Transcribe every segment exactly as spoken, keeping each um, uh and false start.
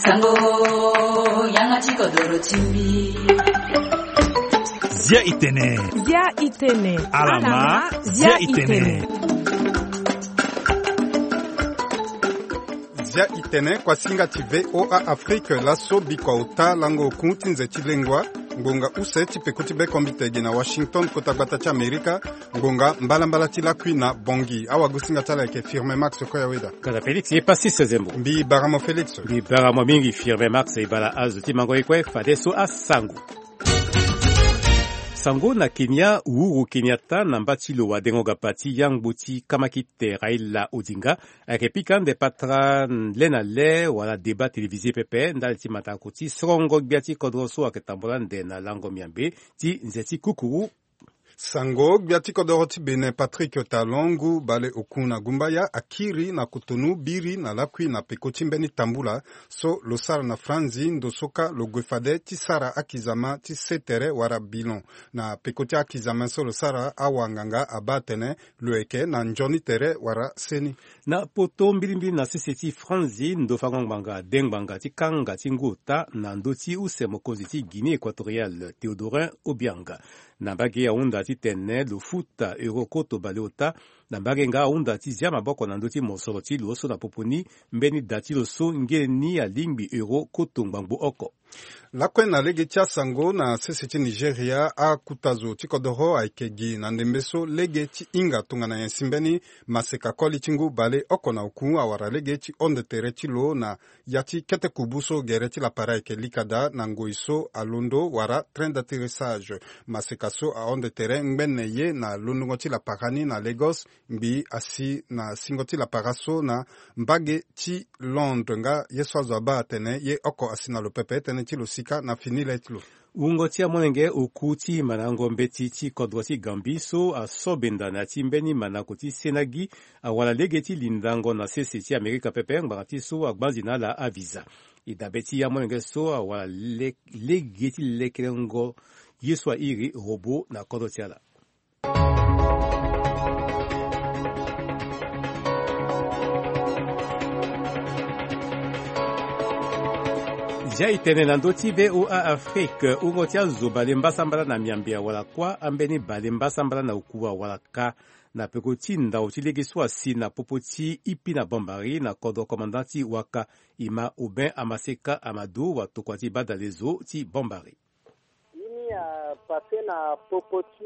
Sango, yanga ti kodoro ti mbi. Zia itene. Zia itene. Alama, zia itene. Zia itene kuasinga ti V O A Afrique, laso bikua ota lango oku ti nze ti lengua, ngbonga use ti peko ti bekombite gi na Washington, kota gbata ti Amerika, ngbonga mbalambala ti lakui na Bangui. Awagosinga ti ala ayeke Firme Max Koyaweda. Kata Félix ye Pasis Zembo. Mbi bara mo Félix. Mbi bara mo mingi Firme Max. E bara azo ti mango ye kue, fadeso asango. Sango na Kenya, Uhuru Kenyatta na mba ti lo wadengo gapa ti yangbo ti kamakite Raila Odinga ayeke pika ande patara le na le wala débat télévisé pepe ndali ti matako ti sorongo gbia ti kodro so ayeke tambula ande na lango miambe ti nze ti kukuru. Sango, gbia ti kodoro ti Bénin Patrick Talon, ngu bale oku na gumbaya, akiri na kotonu biri na lakui na peko ti mbeni tambula so lo sara na franzi, ndo so kâ lo gue fade ti sara akizama ti se tere wala bilan. Na peko ti akizama so lo sara, awanganga abaa atene lo yeke na nzoni tere wala seni. Na poto mbilimbili na sese ti franzi, ndo fango ngbanga de ngbanga ti kanga ti ngu ota na ndö ti use mokonzi ti Guinée Équatoriale, Théodorin Obiang. Na mbage ahunda titene lo futa euro koto baleota. Na mbage nga ahunda ti zia maboko na ndö ti mosoro ti lo so na popo ni mbeni da ti lo so nge ni alingbi euro koto ngbangbo oko. Lakue na lege ti asango na sese ti Nigeria, akuta zo ti kodoro ayeke gi na ndembe so lege ti hinga tongana nyen si mbeni maseka koli ti ngu baleoko na oku awara lege ti honde tere ti lo na ya ti kete kubu so gere ti lapara ayeke lika daa na ngoi so alondo wala train d'atterrissage. Maseka so ahonde tere ngbene ye na londongo ti lapara ni na Lagos, ngbii asi na singo ti lapara so na mbage ti Londres, nga ye so azo abaa atene ye oko asi na lo pepe, tënë ti lo si kâ na fini le ti lo. Wungo ti amolenge oku ti mandango mbeti ti kodro ti Gambie so aso benda na ya ti mbeni mandango ti senagi awara lege ti lindango na sese ti Amerika pepe ngbanga ti so agbanzi na ala avisa. E dabe ti amolenge so awara le-, lege ti lekelengo ye so airi robot na kodro ti ala. Zia e tene na ndö ti V O A Afrique, wungo ti azo bale mbasambala na miambe awara kuâ, ambeni bale mbasambala na oku awara kâ, na peko ti ndau ti lege so asi na popo ti Ipi na Bambari na kodro commandant ti Waka. E ma Aubin Amaseka Amadou watokua ti badale zo ti Bambari. Ye ni apasse na popo ti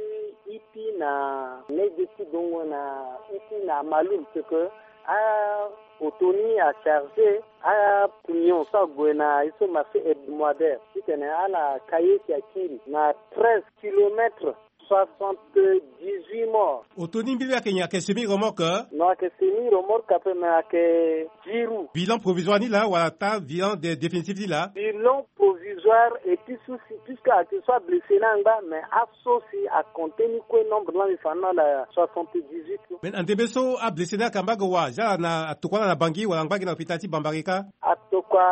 Ipi na lege ti dongo na Ipi na Malul, ce que a-oto ni acharge acamion so ague na ye so marché hebdomadaire titene ala ka ye si akiri na treize kilomètres, soixante-dix-huit morts. Oto ni mbili ayeke nyen, ayeke semi remorque? Non, ayeke semi remorque ape, mais ayeke dix roues. Bilan provisoire ni laa wala ata bilan de-, définitif ni laa? Bilan provisoire et puis souci, puisque ayeke so ablessé ni angba, mais aso si acompté ni kue nombre ni la mbi fa ni na ala soixante-dix-huit. Mais na ndembe so ablessé ni ayeke na mbage wa, zia ala na atokua ala na Bangui wala angba gi na hôpital ti Bambari kâ? Atokua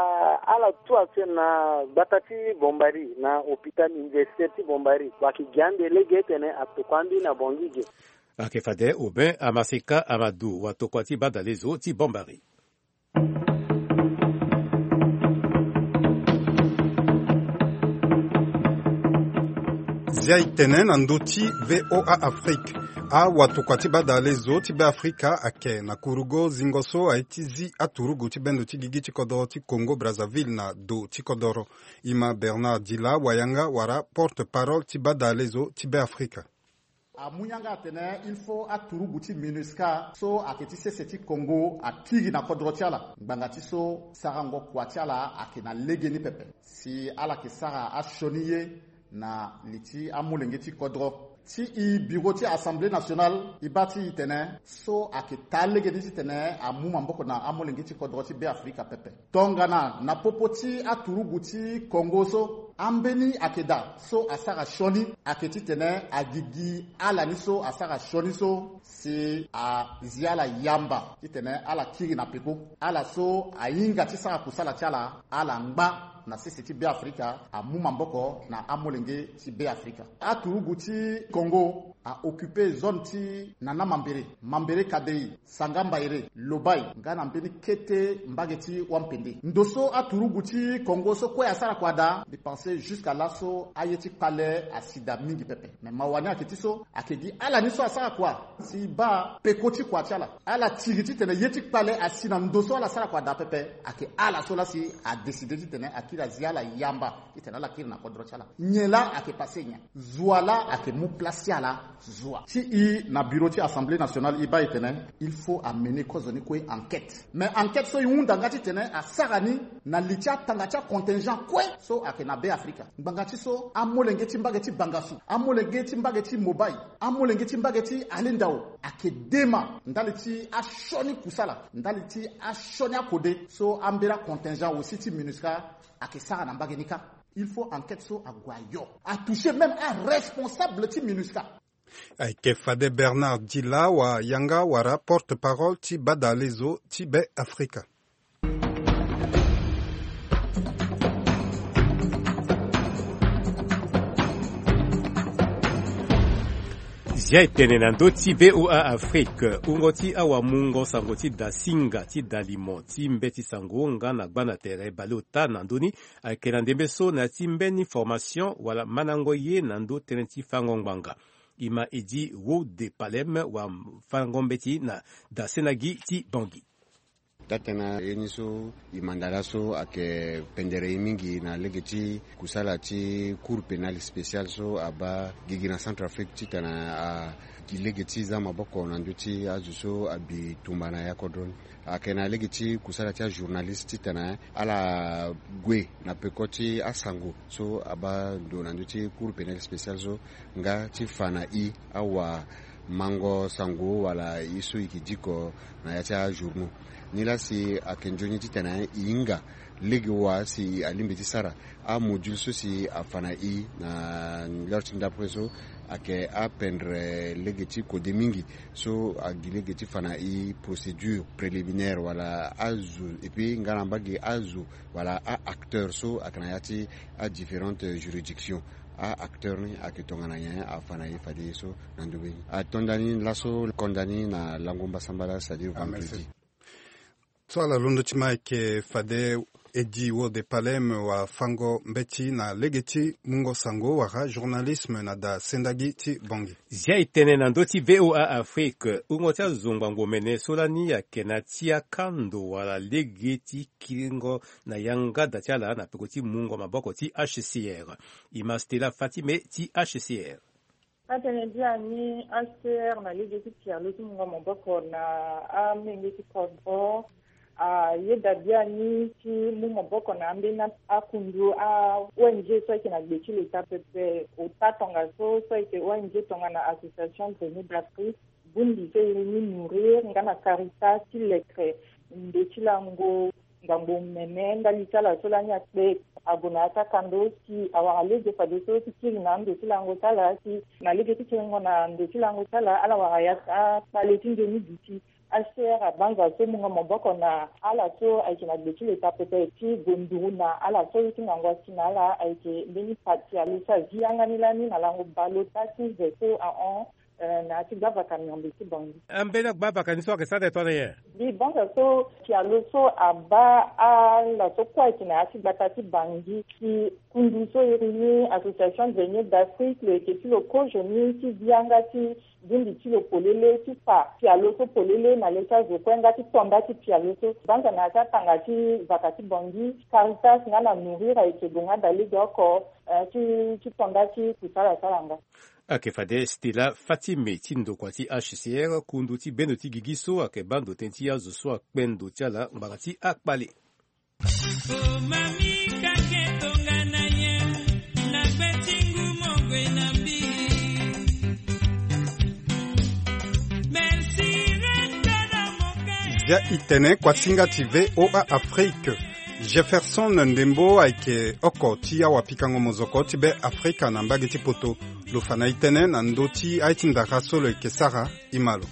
ala tout actuel na gbata ti Bambari, na hôpital universitaire ti Bambari. Wa ayeke gi ande lege titene atokua ambeni na Bangui ge. Ayeke fade Aubin Amaseka Amadou watokua ti badale zo ti Bambari. Zia e tene na ndö ti V O A Afrique. Awatokua ti badale zo ti Beafrika ayeke na kurugo zingo so aye ti zi aturugu ti bendo ti gigi ti kodoro ti Congo Brazzaville na do ti kodoro. E ma Bernard Dila Wayanga wala porte-parole ti badale zo ti Beafrika. Amu yanga atene il faut aturugu ti MINUSCA so ayeke ti sese ti Congo akiri na kodro ti ala ngbanga ti so sarango kua ti ala ayeke na legeni pepe. Si ala yeke sara asioni ye na li ti amolenge ti kodro. Ti e bureau ti Assemblée nationale e baa ti e tene so ayeke taa legeni titene amu maboko na amolenge ti kodro ti Beafrika pepe. Tongana na popo ti aturugu ti Congo so, ambeni ayeke daa so asara sioni ayeke titene agigi ala ni so asara sioni so si azi ala yamba titene ala kiri na peko. Ala so ahinga ti sara kusala ti ala, ala ngba na sese ti Beafrika, amu maboko na amolenge ti Beafrika. Aturugu ti Congo aoccupe zone ti Nana Mambere, Mambere Kadei, Sanga Mbaire, Lobai, nga na mbeni kete mbage ti Wampende. Ndo so aturugu ti Congo so kue asara kua daa, mbi pense jusqu'à laso aye ti kpale asi daa mingi pepe. Me mawa ni ayeke ti so, ayeke gi ala ni so asara kua si e baa peko ti kua ti ala. Ala tiri titene ye ti kpale asi na ndo so ala sara kua daa pepe, ayeke ala so laa si adécide titene akiri azi ala yamba titene ala kiri na kodro ti ala. Nyen laa ayeke passe nyen? Zo wa laa ayeke mu place ti ala. Zo wa ti e na bureau ti Assemblée nationale, e baa e tene il faut amener kozo ni kue enquête. Mais enquête so e hunda nga titene asara ni na li ti atanga ti acontingent kue so ayeke na Be Afrika. Ngbanga ti so amolenge ti mbage ti Bangassou, amolenge ti mbage ti Mobaye, amolenge ti mbage ti Alindao ayeke dema ndali ti asioni kusala, ndali ti asioni akode so ambeni acontingent aussi ti MINUSCA ayeke sara na mbage ni kâ. Il faut enquête so ague ayo, atoucher même aresponsable ti MINUSCA. Ayeke fade Bernard Dila wa yanga wala porte-parole ti badalezo ti Be Afrika. Zia e tene na ndö ti V O A Afrique, wungo ti awamungo sango ti dasinga ti dalimo ti mbeti sango nga na gba na tere baleota na ndö ni ayeke na ndembe so na ya ti mbeni formation wala mandango ye na ndö tënë ti fango ngbanga. E ma e di Wode Palem wafango-mbeti na dasenagi ti Bangui. Daa tënë ye ni so e manda laso ayeke pendere e mingi na lege ti kusala ti Cour pénale spéciale so abaa gigi na Centrafrique titene a gi lege ti za maboko na ndö ti azo so abi tumba na ya kodro ni. Ayeke na lege ti kusala ti ajournaliste titene ala gue na peko ti asango so abaa ndo na ndö ti Cour pénale spéciale so nga ti fa na e awamango sango wala ye so e yeke diko na ya ti ajournaux. Nilaa si ayeke nzoni titene e hinga lege wa si alingbi ti sara amodule so si afa na e na lere ti ndapre so ayeke apendre lege ti kode mingi so agi lege ti fa na e procédure préliminaire wala azo, et puis nga na mbage azo wala a-acteur so ayeke na ya ti adifférentes juridictions. A-acteur ni ayeke tongana nyen afa na e fade ye so na ndö be ni. Atonda ni laso konda ni na lango mbasambala, c'est-à-dire vendredi. So ala londo ti ma ayeke fade Edi Wode Palem wafango-mbeti na lege ti mungo sango wala journalisme na da sendagi ti Bangui. Zia e tene na ndö ti V O A Afrique, wungo ti azo ngbangbo mene so lani ayeke na ti akando wala lege ti kiringo na yanga da ti ala na peko ti mungo maboko ti H C R. E ma Stella Fatime ti H C R. Atënë biani H C R na lege ti pialo ti mungo maboko na amenge ti kodro ayeda biani ti mu maboko na ambeni akundu a-O N G so ayeke na gbe ti leta pepe. Ota tongaso so ayeke O N G tongana Association Grenier d'Afrique, bungbi so e iri ni Nourrir nga na Caritas ti lekre ndo ti lango ngbangbo mene ndali ti ala so lani akpe ague na ya ti akando si awara lege fadeso ti kiri na ando ti lango ti ala si na lege ti kiringo na ando ti lango ti ala ala wara ya ti akpale ti nzoni duti. H C R abanza so mungo maboko na ala so ayeke na gbe ti leta pepe ti gue nduru na ala so ye ti ngangu asi na ala ayeke mbeni pati alo so azi yanga ni lani na lango baleota ti ve so ahon. Eh, na ya ti gbavaka miombe ti Bangui. Ambeni agbavaka ni so ayeke sara tene tongana nyen? Mbi banza so pialo so abaa ala so kue ayeke na ya ti gbata ti Bangui si kundu so iri ni Association Grenier d'Afrique lo yeke ti lo kozo ni ti zi yanga ti bungbi ti lo polele ti fa pialo so polele na le ti azo kue nga ti tonda ti pialo so. Banza na ya ti atanga ti vaka ti Bangui, Caritas nga na Nourrir ayeke gue nga da lege oko, eh, ti, ti tonda ti kusala sara nga. Ayeke fade Stella Fatime ti ndokua ti H C R, kundu ti bendo ti gigi so ayeke baa ndo tënë ti azo so akpe ndo ti ala ngbanga ti akpale. Zia e tene kuasinga ti V O A Afrique. Jefferson Ndembo ayeke oko ti awapikango mozoko ti Be Afrika na mbage ti poto. Lo fa na e tënë na ndö ti aye ti ndara so lo yeke sara. E ma lo.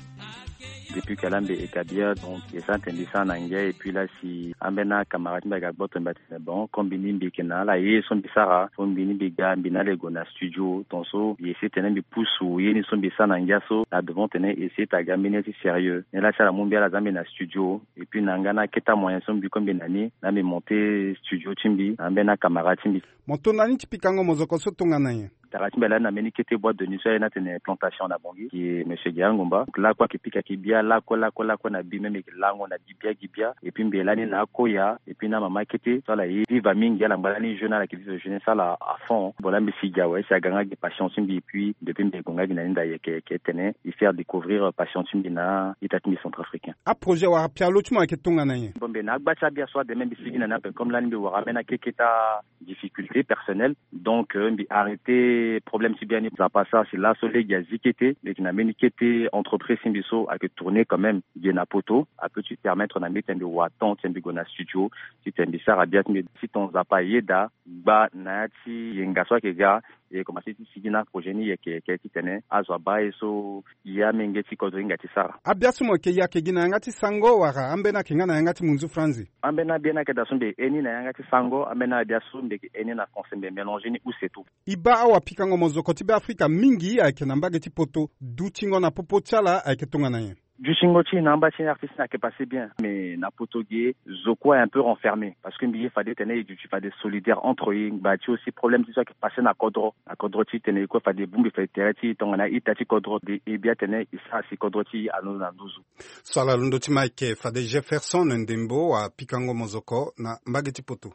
Depuis que ala mbi établir, donc esa tene mbi sara na ngia. Et puis la si ambeni acamarade ti mbi aga gboto mbi atene bon, comme mbi ni mbi yeke na ala ye so mbi sara, so mbi ni mbi ga mbi na ala e gue na studio. Tonso mbi essayer tene mbi pusu ye ni so mbi sara na ngia so na devant tene essayer ti aga mbeni ya ti sérieux. Ni la si ala mu mbi ala za mbi na studio. Et puis na nga na akete amoyen so mbi kue mbi na ni, na mbi monter studio ti mbi na ambeni acamarade ti mbi. Mo to na ni ti pikango mozoko so tongana nyen? Tara ti mbi lani na mbeni kete boîte de nuit so aye ni atene Plantation na Bangui, gi monsieur Guérin Ngomba. Lakue ayeke pika ayeke bia lakue lakue lakue na bi même ayeke lango na gi bia gi bia. Et puis mbi lani na akoya et puis na mama kete so ala ye viva mingi, ala ngba lani jeune, ala yeke viva jeunesse ala à fond. Bon la mbi si gi awe si aga nga gi passion ti mbi et puis depuis mbi gue nga gi na ni nda yeke yeke tene e faire découvrir passion ti mbi na ita ti mbi centrafricain. Aprojet wala pialo ti mo ayeke tongana nyen? Bon mbi na agba ti abia so ademe mbi sigi na ni ape comme lani mbi wara ambeni akeketa difficulté personnelle. Donc euh, mbi arrêter problème ti bia ni. Nzapa asara si laso lege azi kete mbi yeke na mbeni kete entreprise ti mbi so ayeke tourner quand même gi na poto, apeut ti permettre na mbi tene mbi wa temps ti mbi gue na studio ti tene mbi sara bia ti mbi. Si ton Nzapa ayeda gba na ya ti yenga so ayeke ga, e commencer ti sigi na projet ni yeke yeke ti tene azo abaa ye so ya amenge ti kodro hinga ti sara. Abia so mo yeke ye ayeke gi na yanga ti sango wala ambeni ayeke nga na yanga ti munzu franzi? Ambeni abia ni ayeke daa so mbi heni na yanga ti sango, ambeni abia so mbi yeke heni na français mbi mélanger ni use tout. E baa awapikango mozoko ti Beafrika mingi ayeke na mbage ti poto. Dutingo na popo ti ala ayeke tongana nyen? Dutingo ti e na amba ti artiste ni ayeke passe bien, mais na poto ge zo kue un peu renfermé parce que mbi ye fade tene e duti fade solidaire entre e ngba ti aussi problème ti so ayeke passe na kodro na kodro ti tene e kue fade e bongbi fade tere ti e tongana ita ti kodro de e bia tene e sara si kodro ti e alondo na nduzu. So ala londo ti ma ayeke fade Jefferson Ndembo wapikango mozoko na mbage ti poto.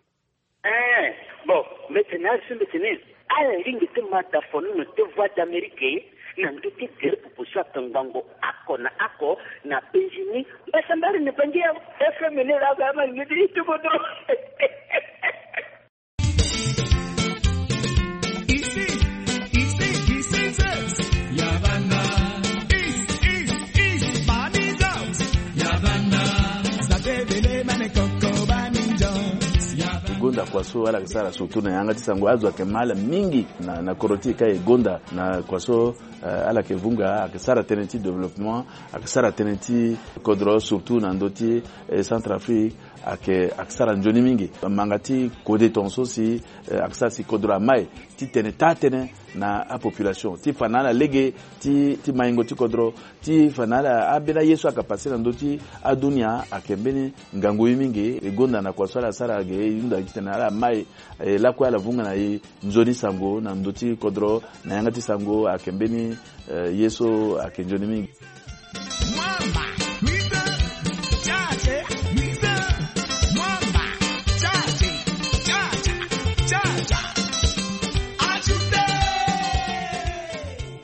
Eh, bon, mbi tene azo mbi tene ala lingbi ti ma dafonono ti Voix d'Amérique na ndö ti gere popo so akangbango oko na oko na penzi ni. Mbasambari ni bangi ya F M ni la ga ma ngidi ti kodro. E gonda kua so ala yeke sara surtout na yanga ti sango azo ayeke ma ala mingi na, na kodro ti e ka e gonda na kua so, eh, ala yeke vunga ayeke sara tënë ti développement, ayeke sara tënë ti kodro surtout na ndö ti, eh, Centrafrique. Ayeke, ayeke sara nzoni mingi. Manga ti kode tongaso si, eh, ayeke sara si kodro amai ti tene taa tënë na apopulation ti fa na ala lege ti, ti maingo ti kodro, ti fa na ala ambeni aye so ayeke passe na ndö ti adunia ayeke mbeni ngangu ye mingi. E gonda na kua so ala sara ge e hunda titene ala mai, eh, lakue ala vunga na e nzoni sango na ndö ti kodro na yanga ti sango ayeke mbeni, eh, ye so ayeke nzoni mingi.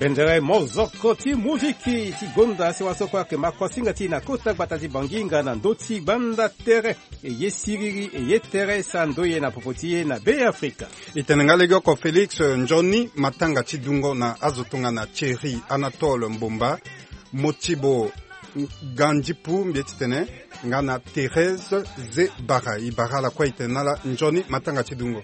Bendere mozoko ti muziki ti gonda si waso kue ayeke ma kuasinga ti e na kota gbata ti Bangi nga na ndö ti gbanda tere. E ye siriri, e ye tere, sa ndoye na popo ti e na Beafrika. E tene nga legeoko Félix, eh, nzoni matanga ti dungo na azo tongana Thierry Anatole Mbomba, Motibo Gandipu mbi ye titene nga na Thérèse Zebara. E bara ala kue e tene na ala nzoni matanga ti dungo.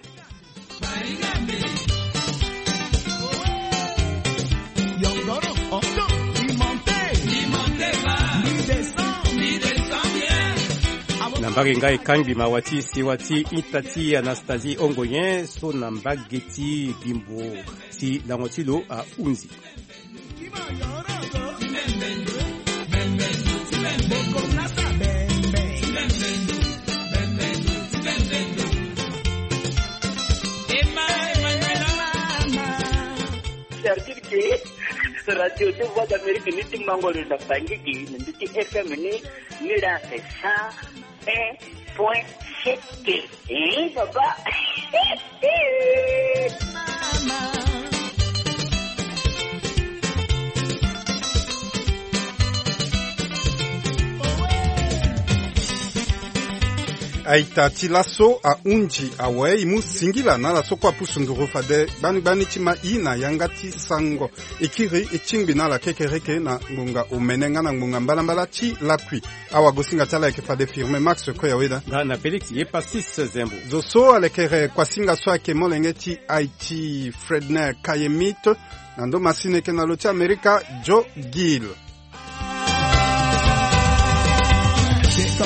Na mbage nga e kangbi mawa ti sewa ti ita ti Anastasie Ongoyen so na mbage ti Bimbo si lango ti lo ahunzi. Certitude ke radio ti Voix d'Amérique ni ti mango lo na Bangui gi na ndö ti F M ni, ni la ake cent un point sept. Eh, papa. Aita ti laso ahunzi awe, e mu singila na ala so kue apusu nduru fade gbani gbani ti ma e na yanga ti sango. E kiri e tingbi na ala kekereke na ngbonga omene nga na ngbonga mbalambala ti lakui. Awagosinga ti ala ayeke fade Firmin Max Koyaweda. Nga na Félix Yepassis Zembo. Zo so alekere kuasinga so ayeke molenge ti Haïti, Fredner Kayemit. Na ndo masini ayeke na lo ti Amerika, Joe Gill. Katika,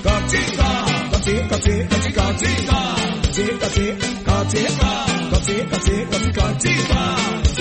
katika, katika, katika, katika, katika, katika, katika, katika, katika, katika.